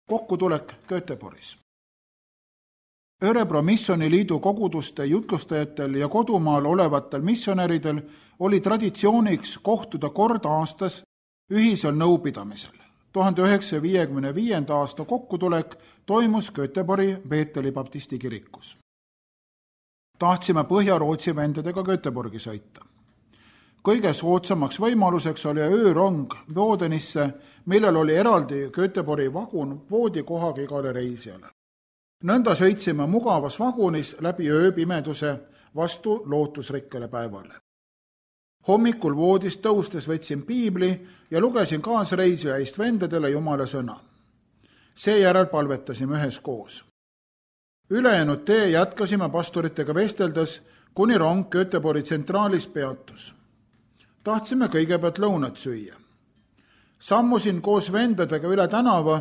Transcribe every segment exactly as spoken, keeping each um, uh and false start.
Kokkutulek Göteborgis. Örebro missioniliidu koguduste jutlustajatel ja kodumaal olevatel missionäridel oli traditsiooniks kohtuda kord aastas ühisel nõupidamisel. tuhande üheksasaja viiekümne viienda aasta kokkutulek toimus Göteborgi Beeteli baptisti kirikus. Tahtsime Põhja-Rootsi vendadega Göteborgi sõita. Kõige soodsamaks võimaluseks oli öörong Bodenisse, millel oli eraldi Göteborgi vagun voodikohaga igale reisijale. Nõnda sõitsime mugavas vagunis läbi ööpimeduse vastu lootusrikkale päevale. Hommikul voodist tõustes võtsin piibli ja lugesin kaasreisija eest vendadele Jumala sõna. Seejärel palvetasime üheskoos. Ülejäänud tee jätkasime pastoritega vesteldes, kuni rong Göteborgi tsentraalis peatus. Tahtsime kõigepealt lõunat süüa. Sammusin koos vendadega üle tänava,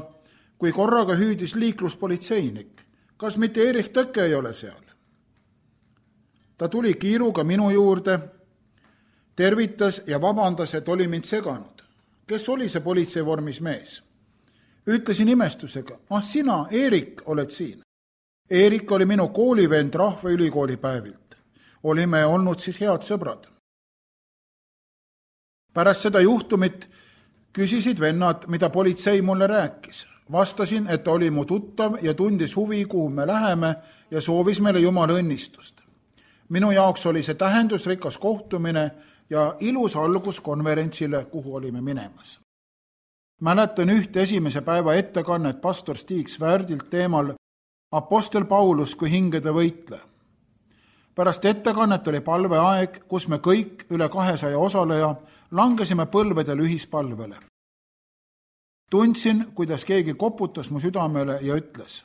kui korraga hüüdis liikluspolitseinik. Kas mitte Erich Tõkke ei ole seal? Ta tuli kiiruga minu juurde, tervitas ja vabandas, et oli mind seganud. Kes oli see politseivormis mees? Ütlesin imestusega, ah sina, Erik, oled siin. Erik oli minu koolivend Rahvaülikooli päevilt. Olime olnud siis head sõbrad. Pärast seda juhtumit küsisid vennad, mida politsei mulle rääkis. Vastasin, et ta oli mu tuttav ja tundis huvi, kuhu me läheme ja soovis meile Jumala õnnistust. Minu jaoks oli see tähendusrikas kohtumine ja ilus algus konverentsile, kuhu olime minemas. Mäletan üht esimese päeva ettekannet pastor Stig Svärdilt teemal Apostel Paulus kui hingede võitle. Pärast ettekannet oli palveaeg, kus me kõik üle kahesaja osaleja langesime põlvedel ühispalvele. Tundsin, kuidas keegi koputas mu südamele ja ütles,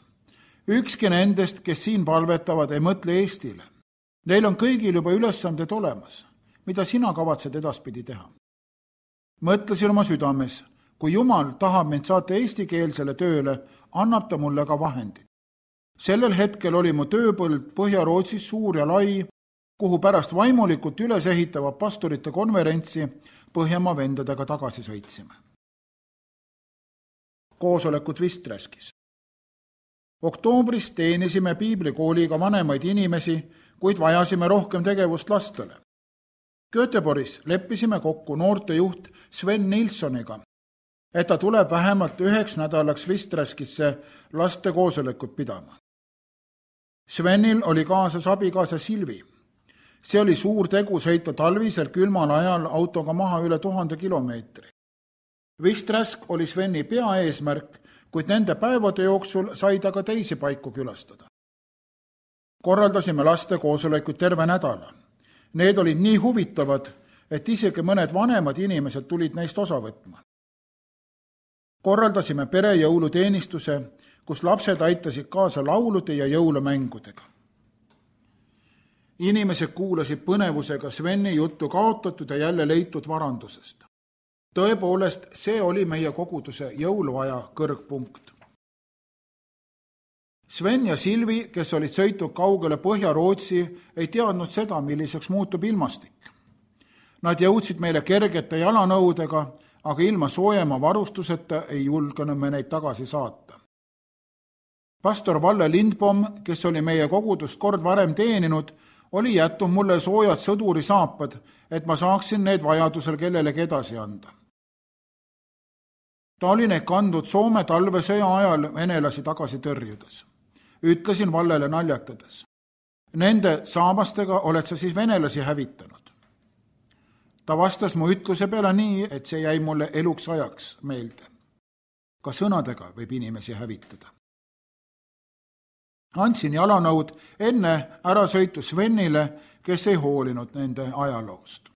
ükski nendest, kes siin palvetavad, ei mõtle Eestile. Neil on kõigil juba ülesanded olemas. Mida sina kavatsed edaspidi teha? Mõtlesin oma südames, kui Jumal tahab mind saata eestikeelsele tööle, annab ta mulle ka vahendid. Sellel hetkel oli mu tööpõld Põhja-Rootsis suur ja lai, kuhu pärast vaimulikult üles ehitava pastorite konverentsi Põhjamaa vendadega tagasi sõitsime. Koosolekut Visträskis. Oktoobris teenisime piiblikooliga vanemaid inimesi, kuid vajasime rohkem tegevust lastele. Göteborgis leppisime kokku noortejuht Sven Nilssoniga, et ta tuleb vähemalt üheks nädalaks Visträskisse laste koosolekut pidama. Svenil oli kaasas abikaasa Silvi. See oli suur tegu sõita talvisel külmal ajal autoga maha üle tuhande kilomeetri. Visträsk oli Sveni peaeesmärk, kuid nende päevade jooksul sai ta ka teisi paiku külastada. Korraldasime laste koosolekuid terve nädala. Need olid nii huvitavad, et isegi mõned vanemad inimesed tulid neist osa võtma. Korraldasime perejõuluteenistuse, kus lapsed aitasid kaasa laulude ja jõulumängudega. Inimesed kuulasid põnevusega Sveni juttu kaotatud ja jälle leitud varandusest. Tõepoolest, see oli meie koguduse jõuluaja kõrgpunkt. Sven ja Silvi, kes olid sõitnud kaugele Põhja-Rootsi, ei teadnud seda, milliseks muutub ilmastik. Nad jõudsid meile kergete jalanõudega, aga ilma soojema varustuseta ei julgenud me neid tagasi saata. Pastor Valle Lindbom, kes oli meie kogudust kord varem teeninud, oli jätnud mulle soojad sõduri saapad, et ma saaksin need vajadusel kellelegi edasi anda. Ta oli neid kandnud Soome talvesõja ajal venelasi tagasi tõrjudes. Ütlesin Vallele naljatades. Nende saamastega oled sa siis venelasi hävitanud. Ta vastas mu ütluse peale nii, et see jäi mulle eluks ajaks meelde. Ka sõnadega võib inimesi hävitada. Andsin jalanõud enne ärasõitu Svenile, kes ei hoolinud nende ajaloost.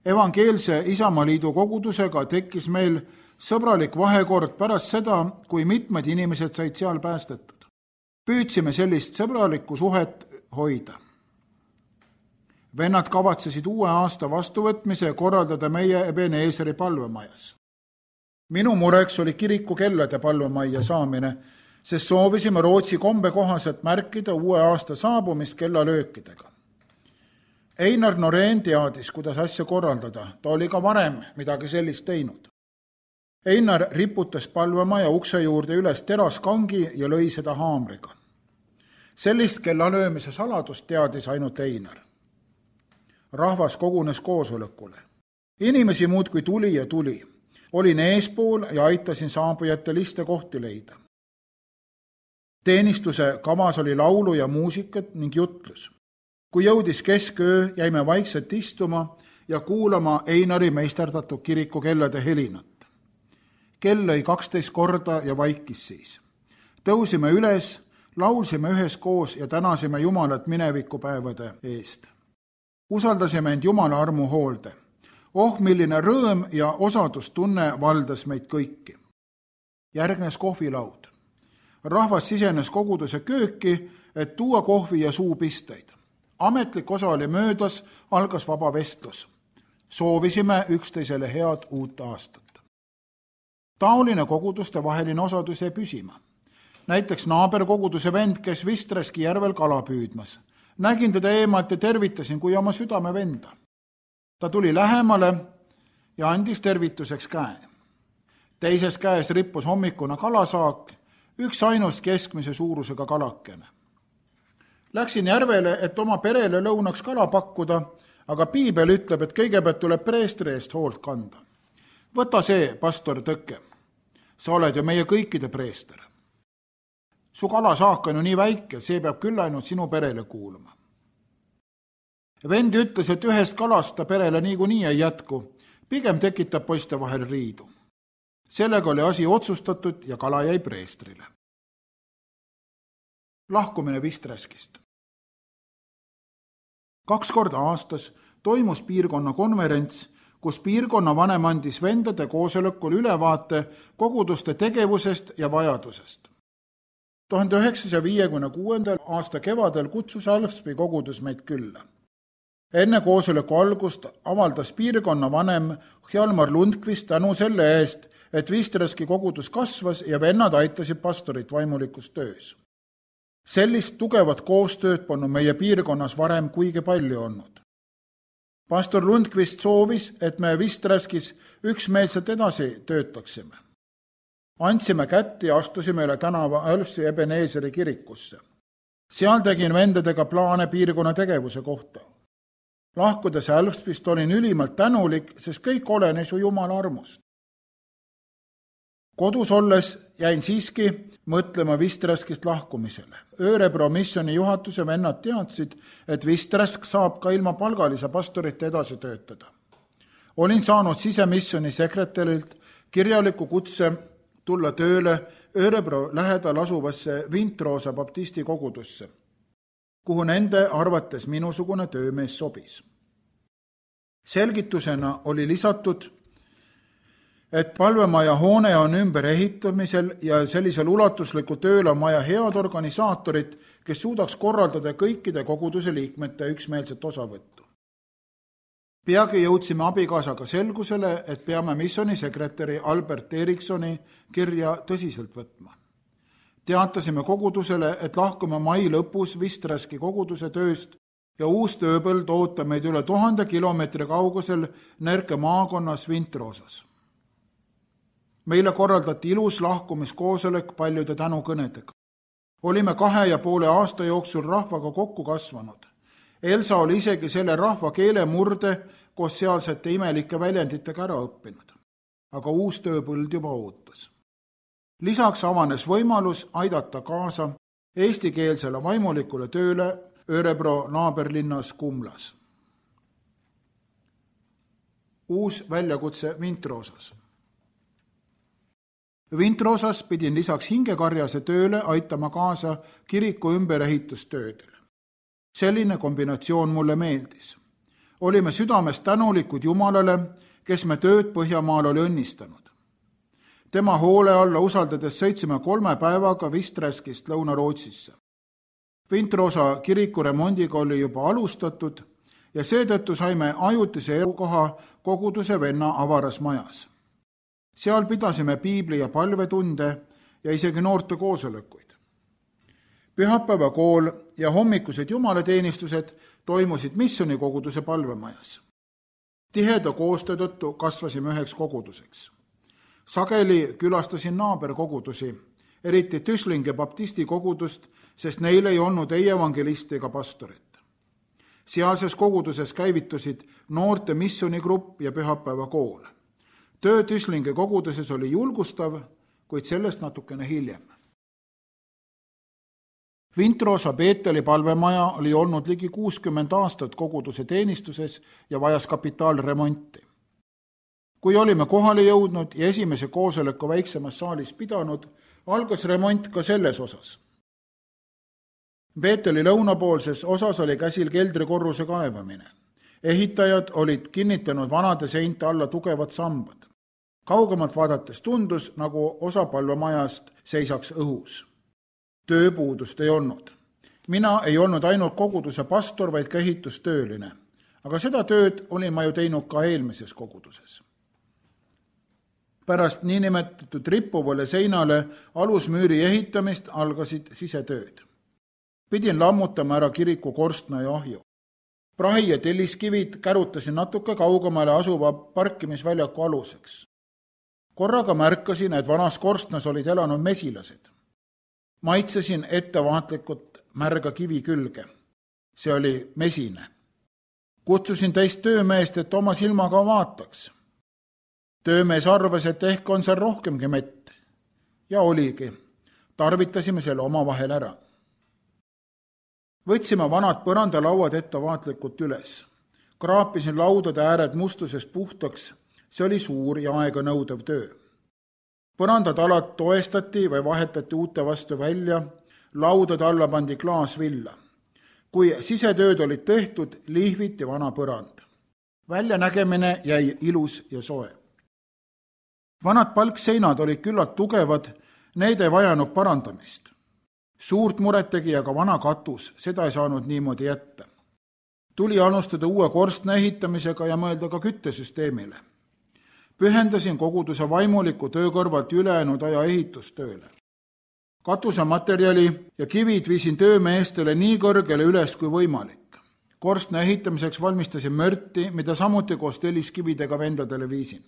Evangeelse Isamaaliidu kogudusega tekkis meil sõbralik vahekord pärast seda, kui mitmed inimesed said seal päästetud. Püüdsime sellist sõbralikku suhet hoida. Vennad kavatsesid uue aasta vastuvõtmise korraldada meie Ebeneeseri palvemajas. Minu mureks oli kiriku kellade palvemajja saamine, sest soovisime Rootsi kombe kohaselt märkida uue aasta saabumist kellalöökidega. Einar Noreen teadis, kuidas asja korraldada, ta oli ka varem midagi sellist teinud. Einar riputas palvemaja ukse juurde üles teraskangi ja lõi seda haamriga. Sellist kellalöömise saladust teadis ainult Einar. Rahvas kogunes koosolekule. Inimesi muudkui tuli ja tuli. Olin eespool ja aitasin saabujate liste kohti leida. Teenistuse kavas oli laulu ja muusikat ning jutlus. Kui jõudis kesköö, jäime vaikselt istuma ja kuulama Einari meisterdatud kiriku kellade helinat. Kell lõi kaksteist korda ja vaikis siis. Tõusime üles, laulsime üheskoos ja tänasime Jumalat minevikupäevade eest. Usaldasime end Jumala armu hoolde. Oh, milline rõõm ja osadustunne valdas meid kõiki. Järgnes kohvilaud. Rahvas sisenes koguduse kööki, et tuua kohvi ja suupisteid. Ametlik osa oli möödas, algas vaba vestlus. Soovisime üksteisele head uut aastat. Taoline koguduste vaheline osadus jäi püsima. Näiteks naaberkoguduse vend, kes Vistreski järvel kala püüdmas. Nägin teda eemalt ja tervitasin kui oma südame venda. Ta tuli lähemale ja andis tervituseks käe. Teises käes rippus hommikuna kalasaak, üks ainus keskmise suurusega kalakene. Läksin järvele, et oma perele lõunaks kala pakkuda, aga piibel ütleb, et kõigepealt tuleb preestri eest hoolt kanda. Võta see, pastor Tõkke. Sa oled ju meie kõikide preester. Su kalasaak on ju nii väike, see peab küll ainult sinu perele kuuluma. Vend ütles, et ühest kalast ta perele niikuinii ei jätku, pigem tekitab poiste vahel riidu. Sellega oli asi otsustatud ja kala jäi preestrile. Lahkumine Vistreskist. Kaks korda aastas toimus piirkonna konverents, kus piirkonna vanem andis vendade koosolekul ülevaate koguduste tegevusest ja vajadusest. tuhande üheksasaja viiekümne kuuendal aasta kevadel kutsus Alfspi kogudus meid külla. Enne koosoleku algust avaldas piirkonna vanem Hjalmar Lundqvist tänu selle eest, et Vistreski kogudus kasvas ja vennad aitasid pastorit vaimulikus töös. Sellist tugevat koostööd polnud meie piirkonnas varem kuigi palju olnud. Pastor Lundqvist soovis, et me Vistreskis üksmeelselt edasi töötaksime. Andsime kätt ja astusime üle tänava Alfsi Ebeneeseri kirikusse. Seal tegin vendadega plaane piirkonna tegevuse kohta. Lahkudes Alfspist olin ülimalt tänulik, sest kõik olenes ju Jumala armust. Kodus olles jäin siiski mõtlema Vistreskist lahkumisele. Örebro missioni juhatuse vennad teadsid, et Vistresk saab ka ilma palgalise pastorite edasi töötada. Olin saanud sisemissioni sekretärilt kirjaliku kutse tulla tööle Örebro lähedal asuvasse Vintroosa baptisti kogudusse, kuhu nende arvates minusugune töömees sobis. Selgitusena oli lisatud, et palvemaja hoone on ümber ehitamisel ja sellisel ulatusliku tööl on vaja head organisaatorit, kes suudaks korraldada kõikide koguduse liikmete üksmeelset osavõttu. Peagi jõudsime abikaasaga selgusele, et peame missionisekretäri Albert Eriksoni kirja tõsiselt võtma. Teatasime kogudusele, et lahkume mai lõpus Vistreski koguduse tööst ja uus tööpõld ootab meid üle tuhande kilomeetri kaugusel Närke maakonnas Vintroosas. Meile korraldati ilus lahkumiskoosolek paljude tänukõnedega. Olime kahe ja poole aasta jooksul rahvaga kokku kasvanud. Elsa oli isegi selle rahva keele murde koos sealsete imelike väljenditega ära õppinud. Aga uus tööpõld juba ootas. Lisaks avanes võimalus aidata kaasa eestikeelsele vaimulikule tööle Örebro naaberlinnas Kumlas. Uus väljakutse Vintroosas. Vintroosas pidin lisaks hingekarjase tööle aitama kaasa kiriku ümberehitustöödele. Selline kombinatsioon mulle meeldis. Olime südamest tänulikud Jumalale, kes me tööd Põhjamaal oli õnnistanud. Tema hoole alla usaldades sõitsime kolme päevaga Vistreskist Lõuna-Rootsisse. Vintroosa kiriku remondiga oli juba alustatud ja seetõttu saime ajutise elukoha koguduse venna avaras majas. Seal pidasime piibli ja palvetunde ja isegi noorte koosolekuid. Pühapäeva kool ja hommikused jumalateenistused toimusid missionikoguduse palvemajas. Tiheda koostöö tõttu kasvasime üheks koguduseks. Sageli külastasin naaberkogudusi, eriti Tüslinge baptisti kogudust, sest neil ei olnud ei evangelisti ega pastorit. Sealses koguduses käivitusid noorte missionigrupp ja pühapäevakool. Töö Tüslinge koguduses oli julgustav, kuid sellest natukene hiljem. Vintrosa Peeteli palvemaja oli olnud ligi kuuskümmend aastat koguduse teenistuses ja vajas kapitaalremonti. Kui olime kohale jõudnud ja esimese koosoleku väiksemas saalis pidanud, algas remont ka selles osas. Peeteli lõunapoolses osas oli käsil keldrikorruse kaevamine. Ehitajad olid kinnitanud vanade seinte alla tugevad sambad. Kaugemalt vaadates tundus, nagu osa palvemajast seisaks õhus. Tööpuudust ei olnud. Mina ei olnud ainult koguduse pastor, vaid ka ehitustööline. Aga seda tööd olin ma ju teinud ka eelmises koguduses. Pärast niinimetatud rippuvale seinale alusmüüri ehitamist algasid sisetööd. Pidin lammutama ära kiriku korstna ja ahju. Prahi ja telliskivid kärutasin natuke kaugemale asuva parkimisväljaku aluseks. Korraga märkasin, et vanas korstnas olid elanud mesilased. Maitsesin ettevaatlikult märga kivi külge. See oli mesine. Kutsusin teist töömeest, et oma silmaga vaataks. Töömees arvas, et ehk on seal rohkemgi mett. Ja oligi. Tarvitasime selle omavahel ära. Võtsime vanad põrandalauad ettevaatlikult üles. Kraapisin laudade ääred mustusest puhtaks. See oli suur ja aega nõudev töö. Põrandatalad toestati või vahetati uute vastu välja, laudade alla pandi klaasvilla. Kui sisetööd olid tehtud, lihviti vana põrand. Väljanägemine jäi ilus ja soe. Vanad palkseinad olid küllalt tugevad, need ei vajanud parandamist. Suurt muret tegi aga vana katus, seda ei saanud niimoodi jätta. Tuli alustada uue korstna ehitamisega ja mõelda ka küttesüsteemile. Pühendasin koguduse vaimuliku töö kõrvalt ülejäänud aja ehitustööle. Katusematerjali ja kivid viisin töömeestele nii kõrgele üles kui võimalik. Korstna ehitamiseks valmistasin mörti, mida samuti koos telliskividega vendadele viisin.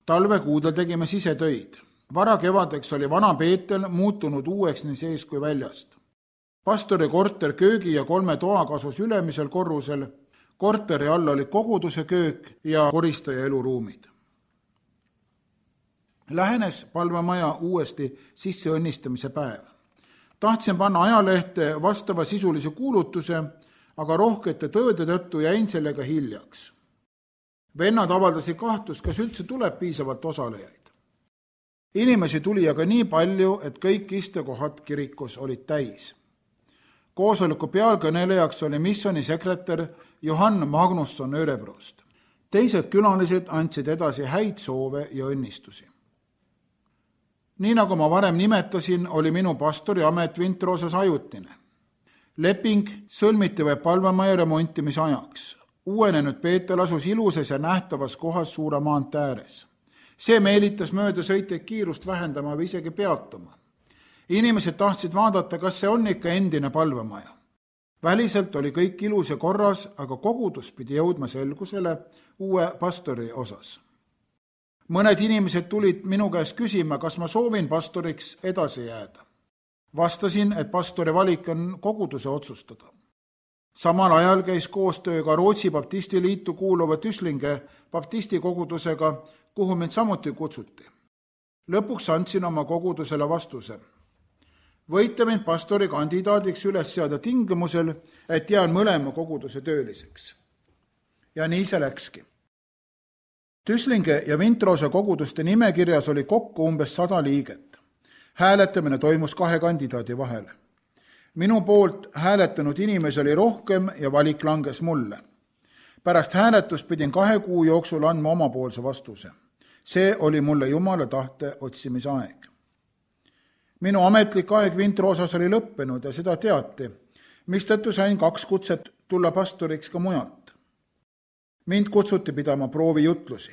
Talvekuudel tegime sisetöid. Vara kevadeks oli vana Peetel muutunud uueks nii sees kui väljast. Pastori korter köögi ja kolme toa kasus ülemisel korrusel. Korteri all oli koguduse köök ja koristaja eluruumid. Lähenes palvemaja uuesti sisseõnnistamise päev. Tahtsin panna ajalehte vastava sisulise kuulutuse, aga rohkete tööde tõttu jäin sellega hiljaks. Vennad avaldasid kahtlust, kas üldse tuleb piisavalt osalejaid. Inimesi tuli aga nii palju, et kõik istekohad kirikus olid täis. Koosoleku pealkõnelejaks oli missiooni sekretär Johann Magnusson Örebrost. Teised külalised andsid edasi häid soove ja õnnistusi. Nii nagu ma varem nimetasin, oli minu pastori amet Vintrosas ajutine. Leping sõlmiti või palvemaja remontimise ajaks. Uuenenud Peetel asus ilusas ja nähtavas kohas suure maantee ääres. See meelitas mööda sõitjaid kiirust vähendama või isegi peatuma. Inimesed tahtsid vaadata, kas see on ikka endine palvemaja. Väliselt oli kõik ilus ja korras, aga kogudus pidi jõudma selgusele uue pastori osas. Mõned inimesed tulid minu käest küsima, kas ma soovin pastoriks edasi jääda. Vastasin, et pastori valik on koguduse otsustada. Samal ajal käis koostöö ka Rootsi baptisti liitu kuuluva Tüslinge baptisti kogudusega, kuhu mind samuti kutsuti. Lõpuks andsin oma kogudusele vastuse. Võite mind pastori kandidaadiks üles seada tingimusel, et jään mõlema koguduse tööliseks. Ja nii see läkski. Tüslinge ja Vintrosa koguduste nimekirjas oli kokku umbes sada liiget. Hääletamine toimus kahe kandidaadi vahel. Minu poolt hääletanud inimesi oli rohkem ja valik langes mulle. Pärast hääletust pidin kahe kuu jooksul andma omapoolse vastuse. See oli mulle Jumala tahte otsimise aeg. Minu ametlik aeg Vintrosas oli lõppenud ja seda teati, mistõttu sain kaks kutset tulla pastoriks ka mujalt. Mind kutsuti pidama proovijutlusi.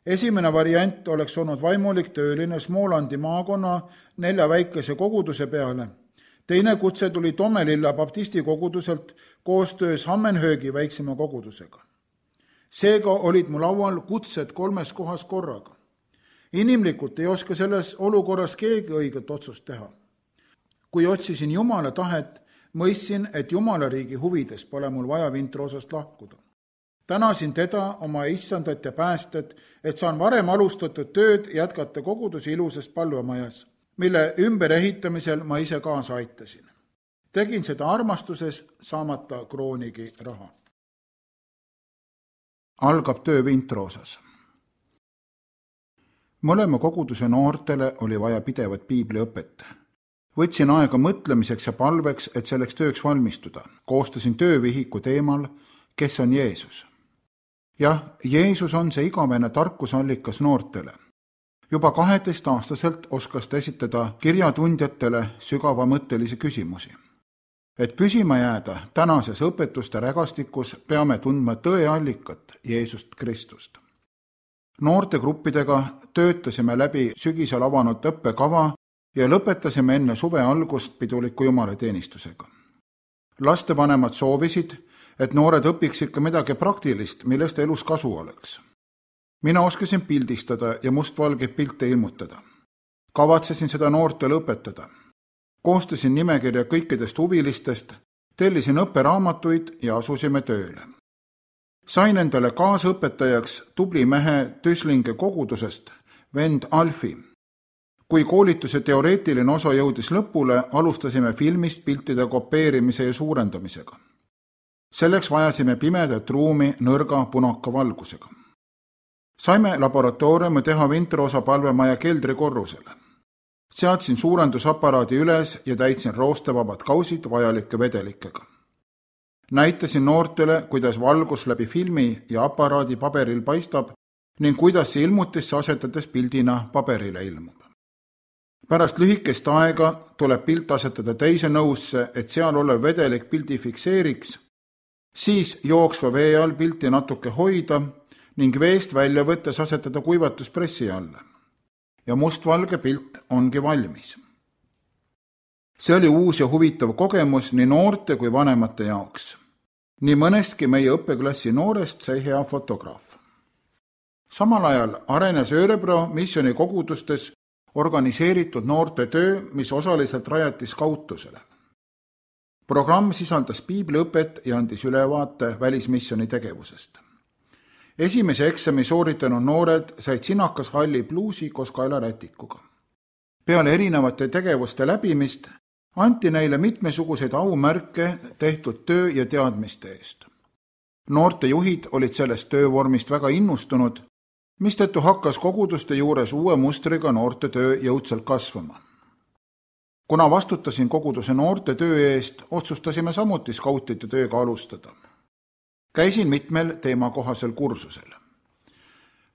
Esimene variant oleks olnud vaimulik tööline Smolandi maakonna nelja väikese koguduse peale. Teine kutse tuli Tomelilla baptisti koguduselt koostöös Hammenhöögi väiksema kogudusega. Seega olid mu laual kutsed kolmes kohas korraga. Inimlikult ei oska selles olukorras keegi õiget otsust teha. Kui otsisin Jumala tahet, mõistsin, et Jumala riigi huvides pole mul vaja Vintroosast lahkuda. Tänasin teda, oma issandat ja päästet, et saan varem alustatud tööd jätkata koguduse ilusas palvemajas, mille ümberehitamisel ma ise kaasa aitasin. Tegin seda armastuses, saamata kroonigi raha. Algab töö Vintroosas. Mõlema koguduse noortele oli vaja pidevat piibliõpet. Võtsin aega mõtlemiseks ja palveks, et selleks tööks valmistuda. Koostasin töövihiku teemal, kes on Jeesus. Jah, Jeesus on see igavene tarkusallikas noortele. Juba kaheteistaastaselt oskas ta esitada kirjatundjatele sügavamõttelisi küsimusi. Et püsima jääda tänases õpetuste rägastikus, peame tundma tõeallikat Jeesust Kristust. Noortegruppidega töötasime läbi sügisel avanud õppekava ja lõpetasime enne suve algust piduliku jumalateenistusega. Lastevanemad soovisid, et noored õpiksid ka midagi praktilist, millest elus kasu oleks. Mina oskasin pildistada ja mustvalgeid pilte ilmutada. Kavatsesin seda noortele õpetada. Koostasin nimekirja kõikidest huvilistest, tellisin õpperaamatuid ja asusime tööle. Sain endale kaasõpetajaks tubli mehe Tüslinge kogudusest, vend Alfi. Kui koolituse teoreetiline osa jõudis lõpule, alustasime filmist piltide kopeerimise ja suurendamisega. Selleks vajasime pimedat ruumi nõrga punaka valgusega. Saime laboratooriumi teha Vintroosa palvemaja keldrikorrusele. Seadsin suurendusaparaadi üles ja täitsin roostevabad kausid vajalike vedelikega. Näitasin noortele, kuidas valgus läbi filmi ja aparaadi paberil paistab ning kuidas see ilmutisse asetades pildina paberile ilmub. Pärast lühikest aega tuleb pilt asetada teise nõusse, et seal olev vedelik pildi fikseeriks, siis jooksva vee all pilti natuke hoida ning veest välja võttes asetada kuivatuspressi alla. Ja mustvalge pilt ongi valmis. See oli uus ja huvitav kogemus nii noorte kui vanemate jaoks. Nii mõnestki meie õppeklassi noorest sai hea fotograaf. Samal ajal arenes Örebro missioni kogudustes organiseeritud noorte töö, mis osaliselt rajati skautusele. Programm sisaldas piibliõpet ja andis ülevaate välismissioni tegevusest. Esimese eksami sooritanud noored said sinakas halli pluusi koos kaelarätikuga. Peale erinevate tegevuste läbimist anti neile mitmesuguseid aumärke tehtud töö ja teadmiste eest. Noorte juhid olid sellest töövormist väga innustunud, mistõttu hakkas koguduste juures uue mustriga noorte töö jõudsalt kasvama. Kuna vastutasin koguduse noorte töö eest, otsustasime samuti skautide tööga alustada. Käisin mitmel teemakohasel kursusel.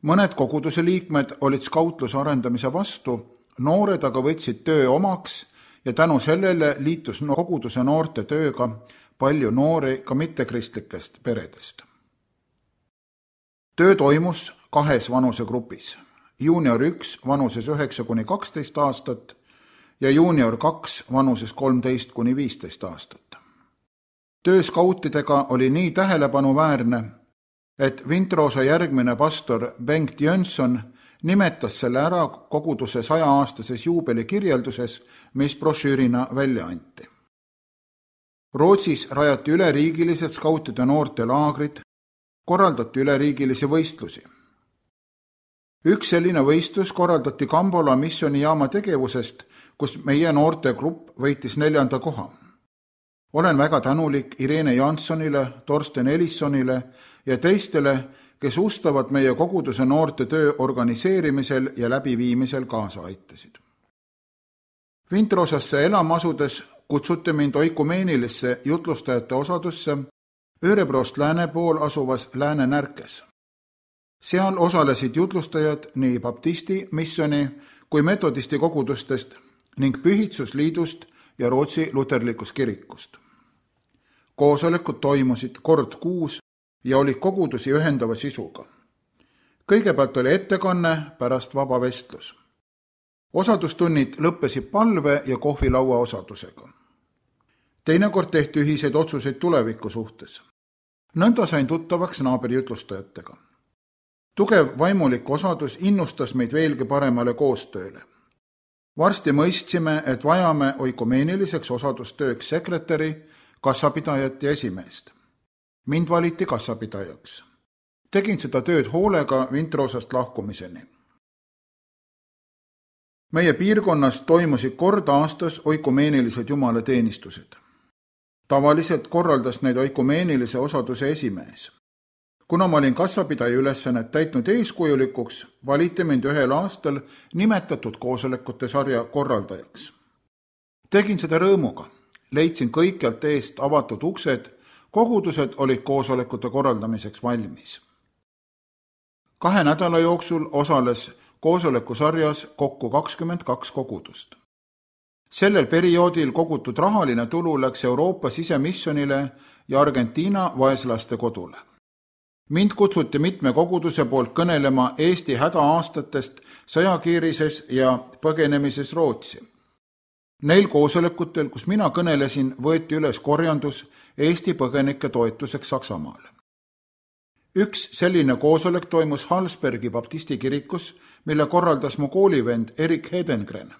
Mõned koguduse liikmed olid skautluse arendamise vastu, noored aga võtsid töö omaks ja tänu sellele liitus koguduse noorte tööga palju noori ka mittekristlikest peredest. Töö toimus kahes vanusegrupis, juunior üks vanuses üheksa kuni kaksteist aastat ja juunior kaks vanuses kolmteist kuni viisteist aastat. Töö skautidega oli nii tähelepanuväärne, et Vintroosa järgmine pastor Bengt Jönsson nimetas selle ära koguduse saja-aastases juubeli kirjelduses, mis brošüürina välja anti. Rootsis rajati üleriigilised skautide noorte laagrid, korraldati üleriigilisi võistlusi. Üks selline võistlus korraldati Kambola missionijaama tegevusest, kus meie noortegrupp võitis neljanda koha. Olen väga tänulik Irene Janssonile, Torsten Elissonile ja teistele, kes ustavad meie koguduse noorte töö organiseerimisel ja läbiviimisel kaasa aitasid. Vintroosasse elama asudes kutsuti mind oikumeenilisse jutlustajate osadusse Örebrost lääne pool asuvas Lääne Närkes. Seal osalesid jutlustajad nii baptisti missioni kui metodisti kogudustest ning Pühitsusliidust ja Rootsi luterlikust kirikust. Koosolekud toimusid kord kuus ja olid kogudusi ühendava sisuga. Kõigepealt oli ettekanne, pärast vaba vestlus. Osadustunnid lõppesid palve ja kohvilaua osadusega. Teinekord tehti ühiseid otsuseid tuleviku suhtes. Nõnda sain tuttavaks naabri jutlustajatega. Tugev vaimulik osadus innustas meid veelgi paremale koostööle. Varsti mõistsime, et vajame oikumeeniliselt osadustööks sekretäri, kassapidajat ja esimeest. Mind valiti kassapidajaks. Tegin seda tööd hoolega Vintroosast lahkumiseni. Meie piirkonnas toimusid kord aastas oikumeenilised jumalateenistused. Tavaliselt korraldas neid oikumeenilise osaduse esimees. Kuna ma olin kassapidaja ülesannet täitnud eeskujulikuks, valiti mind ühel aastal nimetatud koosolekute sarja korraldajaks. Tegin seda rõõmuga. Leidsin kõikjalt eest avatud uksed, kogudused olid koosolekute korraldamiseks valmis. Kahe nädala jooksul osales koosoleku sarjas kokku kakskümmend kaks kogudust. Sellel perioodil kogutud rahaline tulu läks Euroopa sisemissionile ja Argentiina vaeslaste kodule. Mind kutsuti mitme koguduse poolt kõnelema Eesti hädaaastatest sõjakiirises ja põgenemises Rootsi. Neil koosolekutel, kus mina kõnelesin, võeti üles korjandus Eesti põgenike toetuseks Saksamaale. Üks selline koosolek toimus Hallsbergi baptisti kirikus, mille korraldas mu koolivend Erik Hedengren.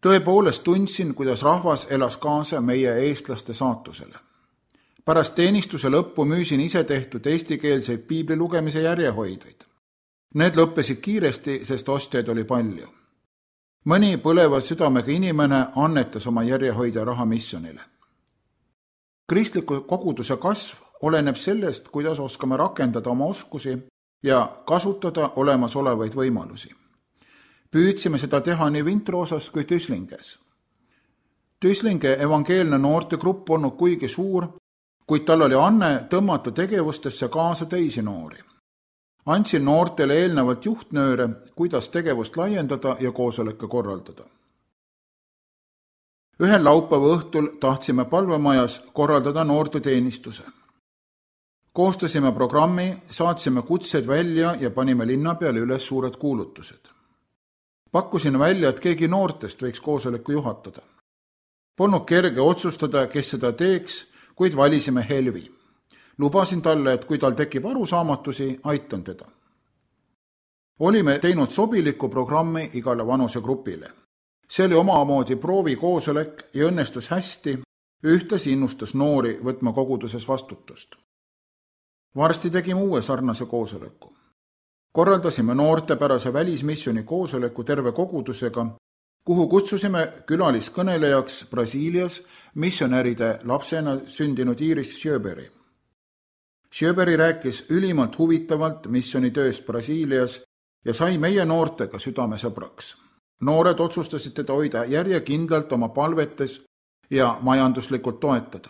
Tõepoolest tundsin, kuidas rahvas elas kaasa meie eestlaste saatusele. Pärast teenistuse lõppu müüsin ise tehtud eestikeelseid piibli lugemise järjehoideid. Need lõppesid kiiresti, sest ostjaid oli palju. Mõni põleva südamega inimene annetas oma järjehoidja raha missionile. Kristliku koguduse kasv oleneb sellest, kuidas oskame rakendada oma oskusi ja kasutada olemasolevaid võimalusi. Püüdsime seda teha nii Vintroosas kui Tüslinges. Tüslinge evangeelne noortegrupp polnud kuigi suur, kuid tal oli anne tõmmata tegevustesse kaasa teisi noori. Andsin noortele eelnevalt juhtnööre, kuidas tegevust laiendada ja koosoleke korraldada. Ühel laupäeva õhtul tahtsime palvemajas korraldada noorte teenistuse. Koostasime programmi, saatsime kutsed välja ja panime linna peale üles suured kuulutused. Pakkusin välja, et keegi noortest võiks koosoleku juhatada. Polnud kerge otsustada, kes seda teeks, kuid valisime Helvi. Lubasin talle, et kui tal tekib arusaamatusi, aitan teda. Olime teinud sobiliku programmi igale vanusegrupile. See oli omamoodi proovi koosolek ja õnnestus hästi, ühtlasi innustas noori võtma koguduses vastutust. Varsti tegime uue sarnase koosoleku. Korraldasime noortepärase välismissioni koosoleku terve kogudusega, kuhu kutsusime külaliskõnelejaks Brasiilias missionäride lapsena sündinud Iris Sjöberi. Sjöberi rääkis ülimalt huvitavalt missionitööst Brasiilias ja sai meie noortega südamesõbraks. Noored otsustasid teda hoida järjekindlalt oma palvetes ja majanduslikult toetada.